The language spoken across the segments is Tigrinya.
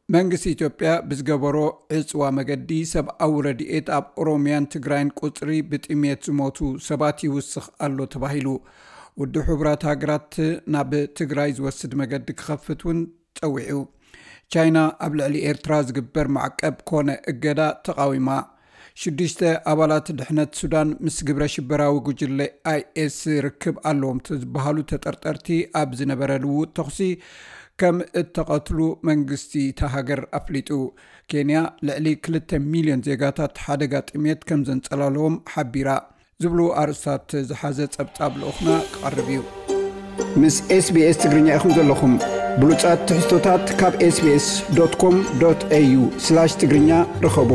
መንግስቲ ኢትዮጵያ ብዝገበሮ ዕፅዋ መገዲ ሰብኣዊ ረድኤት ኣብ ኦሮሚያን ትግራይን ቁፅሪ ብጥሜት ዝሞቱ ሰባት ይውስኽ ኣሎ ተባሂሉ። ውድብ ሕቡራት ሃገራት ናብ ትግራይ ዝወስድ መገዲ ክኸፍት እውን ጸዊዑ። ቻይና ኣብ ልዕሊ ኤርትራ ዝግበር ማዕቀብ ኮነ እገዳ ተቓዊማ። ሽዱሽተ ኣባላት ድሕነት ሱዳን ምስ ግብረ ሽበራዊ ጉጅለ ኣይኤስ ርክብ ኣለዎም ዝበሃሉ ተጠርጠርቲ ኣብ ዝነበረ ልውውጥ ተኹሲ ከም እተቐትሉ መንግስቲ እታ ሃገር ኣፍሊጡ። ኬንያ ልዕሊ ክልተ ሚልዮን ዜጋታት ሓደጋ ጥሜት ከም ዘንጸላለዎም ሓቢራ። ዝብሉ ኣርእስታት ዝሓዘ ጸብጻብ ልኡኽና ክቐርብ እዩ። ምስ ኤስቢኤስ ትግርኛ ኢኹም ዘለኹም። ብሉጻት ትሕዝቶታት ካብ ኤስቢኤስ ዶት ኮም ዶት ኤዩ ስላሽ ትግርኛ ርኸቡ።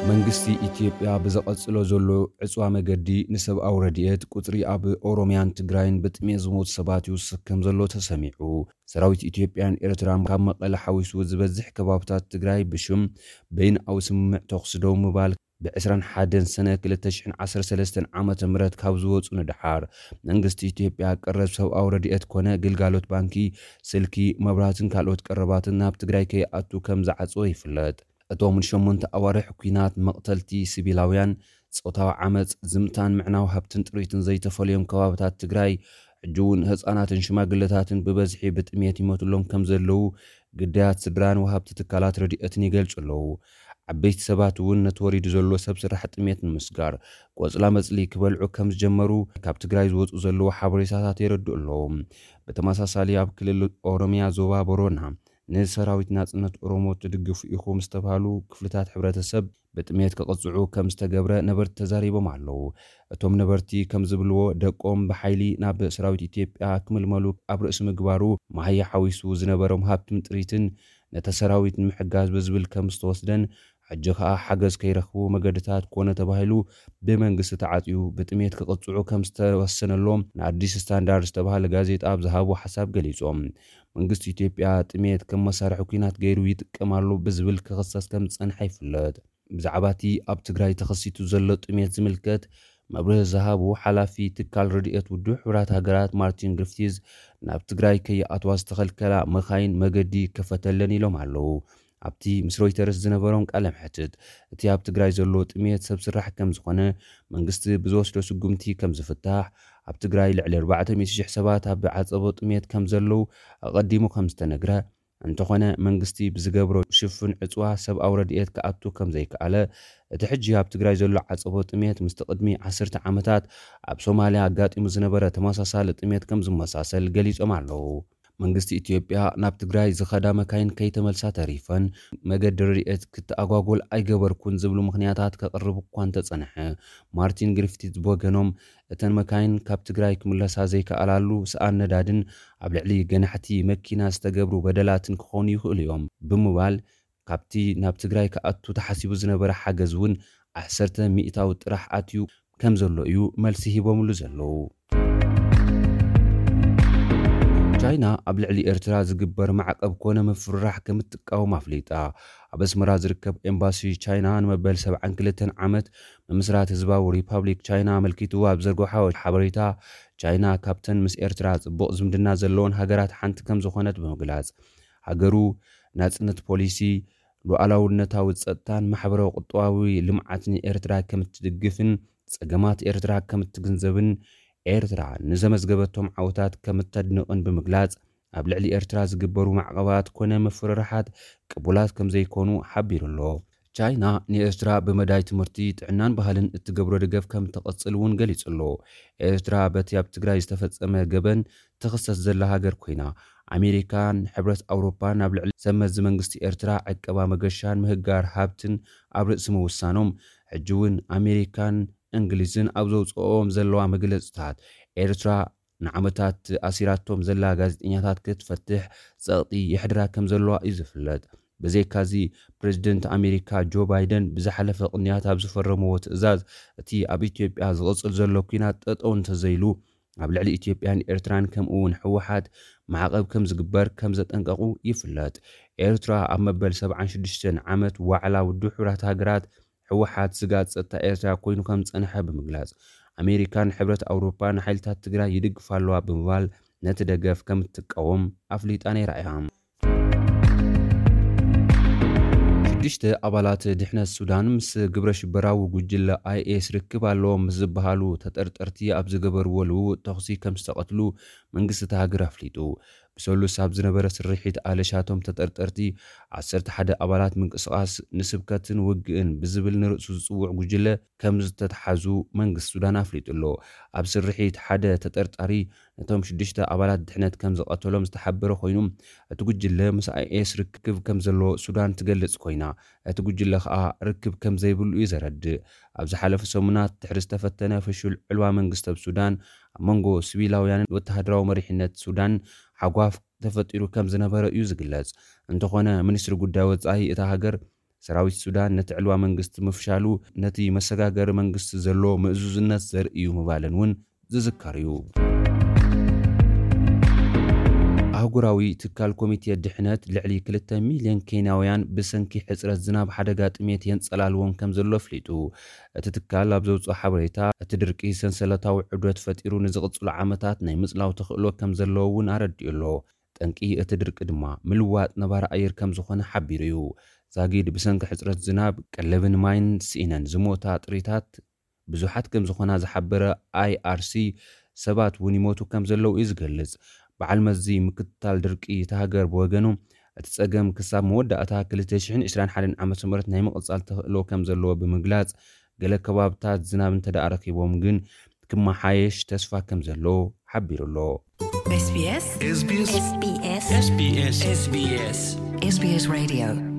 መንግስቲ ኢትዮጵያ ብዘቐጽሎ ዘሎ ዕጽዋ መገዲ ንሰብኣዊ ረድኤት፣ ቁጽሪ ኣብ ኦሮሚያን ትግራይን ብጥሜት ዝሞቱ ሰባት ይውስኽ ከም ዘሎ ተሰሚዑ። ሰራዊት ኢትዮጵያን ኤርትራን ካብ መቐለ ሓዊሱ ዝበዝሕ ከባብታት ትግራይ ብሽም በይንኣዊ ስምምዕ ተኹሲ ደው ምባል ብ ዕስራን ሓደን ሰነ ክልተ ሽሕን ዓሰርተ ሰለስተን ዓመተ ምህረት ካብ ዝወጹ ንደሓር፣ መንግስቲ ኢትዮጵያ ቀረብ ሰብኣዊ ረድኤት ኮነ ግልጋሎት ባንኪ፣ ስልኪ፣ መብራህትን ካልኦት ቀረባትን ናብ ትግራይ ከይኣቱ ከም ዝዓጸወ ይፍለጥ። እቶም ንሸሞንተ ኣዋርሕ ኲናት፣ መቕተልቲ ሲቪላውያን፣ ጾታዊ ዓመጽ፣ ዝምታን ምዕናው ሃብትን ጥሪትን ዘይተፈልዮም ከባብታት ትግራይ፣ ሕጂ እውን ህጻናትን ሽማግለታትን ብበዝሒ ብጥሜት ይሞትሎም ከም ዘለዉ ግዳያት ስድራን ወሃብቲ ትካላት ረድኤትን ይገልጹ ኣለዉ። ዓበይቲ ሰባት እውን ነቲ ወሪዱ ዘሎ ሰብ ስራሕ ጥሜት ንምስጋር ቆጽላ መጽሊ ክበልዑ ከም ዝጀመሩ ካብ ትግራይ ዝወጹ ዘለዉ ሓበሬታታት የረድኡ ኣለዉ። ብተመሳሳሊ ኣብ ክልል ኦሮሚያ ዞባ ቦሮና ንሰራዊት ናጽነት ኦሮሞ ትድግፉ ኢኹም ዝተባህሉ ክፍልታት ሕብረተሰብ ብጥሜት ክቕጽዑ ከም ዝተገብረ ነበርቲ ተዛሪቦም ኣለዉ። እቶም ነበርቲ ከም ዝብልዎ፣ ደቆም ብሓይሊ ናብ ሰራዊት ኢትዮጵያ ክምልመሉ ኣብ ርእሲ ምግባሩ፣ መሃያ ሓዊሱ ዝነበሮም ሃብትን ጥሪትን ነቲ ሰራዊት ንምሕጋዝ ብዝብል ከም ዝተወስደን፣ ሕጂ ከኣ ሓገዝ ከይረኽቡ መገድታት ኮነ ተባሂሉ ብመንግስቲ ተዓጽዩ ብጥሜት ክቕጽዑ ከም ዝተወሰነሎም ንኣዲስ ስታንዳርድ ዝተባህለ ጋዜጣ ኣብ ዝሃቦ ሓሳብ ገሊጾም። መንግስቲ ኢትዮጵያ ጥሜት ከም መሳርሒ ኲናት ገይሩ ይጥቀም ኣሎ ብዝብል ክኽሰስ ከም ዝጸንሐ ይፍለጥ። ብዛዕባ እቲ ኣብ ትግራይ ተኸሲቱ ዘሎ ጥሜት ዝምልከት መብርሂ ዝሃቡ ሓላፊ ትካል ረድኤት ውድብ ሕቡራት ሃገራት ማርቲን ግሪፍቲዝ፣ ናብ ትግራይ ከይኣትዋ ዝተኸልከላ መኻይን መገዲ ይከፈተለን ኢሎም ኣለዉ። ኣብቲ ምስ ሮይተርስ ዝነበሮም ቃለ መሕትት፣ እቲ ኣብ ትግራይ ዘሎ ጥሜት ሰብ ስራሕ ከም ዝኾነ፣ መንግስቲ ብዝወስዶ ስጉምቲ ከም ዝፍታሕ፣ ኣብ ትግራይ ልዕሊ ኣርባዕተ ሚእቲ ሽሕ ሰባት ኣብ ዓጸቦ ጥሜት ከም ዘለዉ ኣቐዲሙ ከም ዝተነግረ፣ እንተኾነ መንግስቲ ብዝገብሮ ሽፍን ዕጽዋ ሰብኣዊ ረድኤት ክኣቱ ከም ዘይከኣለ፣ እቲ ሕጂ ኣብ ትግራይ ዘሎ ዓጸቦ ጥሜት ምስቲ ቅድሚ ዓሰርተ ዓመታት ኣብ ሶማልያ ኣጋጢሙ ዝነበረ ተመሳሳሊ ጥሜት ከም ዝመሳሰል ገሊጾም ኣለዉ። መንግስቲ ኢትዮጵያ ናብ ትግራይ ዝኸዳ መካይን ከይተመልሳ ተሪፈን፣ መገዲ ረድኤት ክትኣጓጎል ኣይገበርኩን ዝብሉ ምኽንያታት ከቕርብ እኳ እንተጸንሐ፣ ማርቲን ግሪፍቲዝ ብወገኖም፣ እተን መካይን ካብ ትግራይ ክምለሳ ዘይከኣላሉ ሰኣን ነዳድን ኣብ ልዕሊ ገናሕቲ መኪና ዝተገብሩ በደላትን ክኾኑ ይኽእሉ እዮም ብምባል፣ ካብቲ ናብ ትግራይ ክኣቱ ተሓሲቡ ዝነበረ ሓገዝ እውን ዓሰርተ ሚእታዊ ጥራሕ ኣትዩ ከም ዘሎ እዩ መልሲ ሂቦምሉ ዘለዉ። ቻይና ኣብ ልዕሊ ኤርትራ ዝግበር ማዕቀብ ኮነ ምፍርራሕ ከም እትቃወም ኣፍሊጣ። ኣብ ኣስመራ ዝርከብ ኤምባሲ ቻይና ንመበል ሰብዓን ክልተን ዓመት ምምስራት ህዝባዊ ሪፓብሊክ ቻይና ኣመልኪቱ ኣብ ዘርግሖ ሓበሬታ፣ ቻይና ካብተን ምስ ኤርትራ ጽቡቕ ዝምድና ዘለወን ሃገራት ሓንቲ ከም ዝኾነት ብምግላጽ፣ ሃገሩ ናጽነት ፖሊሲ፣ ሉዓላውነታዊ ጸጥታን ማሕበራዊ ቁጠባዊ ልምዓትን ኤርትራ ከም እትድግፍን ጸገማት ኤርትራ ከም እትግንዘብን ኤርትራ ንዘመዝገበቶም ዓወታት ከም እተድንቕን ብምግላጽ፣ ኣብ ልዕሊ ኤርትራ ዝግበሩ ማዕቐባት ኮነ ምፍርራሓት ቅቡላት ከም ዘይኮኑ ሓቢሩ ኣሎ። ቻይና ንኤርትራ ብመዳይ ትምህርቲ፣ ጥዕናን ባህልን እትገብሮ ደገፍ ከም እትቐጽል እውን ገሊጹ ኣሎ። ኤርትራ በቲ ኣብ ትግራይ ዝተፈጸመ ገበን ትኽሰስ ዘላ ሃገር ኮይና፣ ኣሜሪካን ሕብረት ኣውሮፓን ኣብ ልዕሊ ሰብ መዚ መንግስቲ ኤርትራ ዕቀባ መገሻን ምህጋር ሃብትን ኣብ ርእሲ ምውሳኖም፣ ሕጂ እውን ኣሜሪካን እንግሊዝን ኣብ ዘውፅኦም ዘለዋ መግለፅታት፣ ኤርትራ ንዓመታት ኣሲራቶም ዘላ ጋዜጠኛታት ክትፈትሕ ፀቕጢ የሕድራ ከም ዘለዋ እዩ ዝፍለጥ። ብዘይካዚ፣ ፕሬዚደንት ኣሜሪካ ጆ ባይደን ብዝሓለፈ ቅንያት ኣብ ዝፈረምዎ ትእዛዝ፣ እቲ ኣብ ኢትዮጵያ ዝቕፅል ዘሎ ኲናት ጠጠው እንተዘይሉ፣ ኣብ ልዕሊ ኢትዮጵያን ኤርትራን ከምኡ እውን ህወሓት ማዕቐብ ከም ዝግበር ከም ዘጠንቀቑ ይፍለጥ። ኤርትራ ኣብ መበል ሰብዓን ሽዱሽተን ዓመት ዋዕላ ውድብ ሕቡራት ሃገራት ህወሓት ስግኣት ጸጥታ ኤርትራ ኮይኑ ከም ዝጸንሐ ብምግላጽ፣ ኣሜሪካን ሕብረት ኣውሮፓን ንሓይልታት ትግራይ ይድግፋ ኣለዋ ብምባል ነቲ ደገፍ ከም እትቃወም ኣፍሊጣ ነይራ እያ። ሽዱሽተ ኣባላት ድሕነት ሱዳን ምስ ግብረ ሽበራዊ ጉጅለ ኣይኤስ ርክብ ኣለዎም ምስ ዝበሃሉ ተጠርጠርቲ ኣብ ዝገበርዎ ልውውጥ ተኹሲ ከም ዝተቐትሉ መንግስቲ እታ ሃገር ኣፍሊጡ። ብሰሉስ ኣብ ዝነበረ ስርሒት ኣለሻቶም ተጠርጠርቲ ዓሰርተ ሓደ ኣባላት ምንቅስቓስ ንስብከትን ውግእን ብዝብል ንርእሱ ዝጽውዕ ጉጅለ ከም ዝተተሓዙ መንግስቲ ሱዳን ኣፍሊጡ ኣሎ። ኣብ ስርሒት ሓደ ተጠርጣሪ ነቶም ሽዱሽተ ኣባላት ድሕነት ከም ዝቐተሎም ዝተሓበረ ኮይኑ፣ እቲ ጉጅለ ምስ ኣይኤስ ርክብ ከም ዘለዎ ሱዳን ትገልጽ ኮይና፣ እቲ ጉጅለ ከኣ ርክብ ከም ዘይብሉ እዩ ዘረድእ። ኣብ ዝሓለፈ ሰሙናት ድሕሪ ዝተፈተነ ፍሹል ዕልዋ መንግስቲ ኣብ ሱዳን ኣብ መንጎ ሲቪላውያንን ወተሃደራዊ መሪሕነት ሱዳን ሓጓፍ ተፈጢሩ ከም ዝነበረ እዩ ዝግለጽ። እንተኾነ ሚኒስትሪ ጉዳይ ወጻኢ እታ ሃገር ሰራዊት ሱዳን ነቲ ዕልዋ መንግስቲ ምፍሻሉ ነቲ መሰጋገሪ መንግስቲ ዘሎ ምእዙዝነት ዘርኢ እዩ ምባለን እውን ዝዝከር እዩ። ኣህጉራዊ ትካል ኮሚቴ ድሕነት ልዕሊ ክልተ ሚልዮን ኬንያውያን ብሰንኪ ሕጽረት ዝናብ ሓደጋ ጥሜት የንጸላልዎም ከም ዘሎ ኣፍሊጡ። እቲ ትካል ኣብ ዘውፅኦ ሓበሬታ እቲ ድርቂ ሰንሰለታዊ ዕብደት ፈጢሩ ንዝቕፅሉ ዓመታት ናይ ምጽላው ተኽእሎ ከም ዘለዎ እውን ኣረዲኡ ኣሎ። ጠንቂ እቲ ድርቂ ድማ ምልዋጥ ነባሪ ኣየር ከም ዝኾነ ሓቢሩ እዩ። ዛጊድ ብሰንኪ ሕጽረት ዝናብ፣ ቀለብን ማይን ስኢነን ዝሞታ ጥሪታት ብዙሓት ከም ዝኾና ዝሓበረ ኣይኣርሲ፣ ሰባት እውን ይሞቱ ከም ዘለዉ እዩ ዝገልጽ። በዓል መዚ ምክትታል ድርቂ እታ ሃገር ብወገኑ፣ እቲ ጸገም ክሳብ መወዳእታ ክልተ ሽሕን ዕስራን ሓደን ዓመተ ምህረት ናይ ምቕጻል ተኽእሎ ከም ዘለዎ ብምግላጽ፣ ገለ ከባብታት ዝናብ እንተ ደኣ ረኺቦም ግን ክመሓየሽ ተስፋ ከም ዘሎ ሓቢሩ ኣሎ። SBS SBS SBS SBS SBS Radio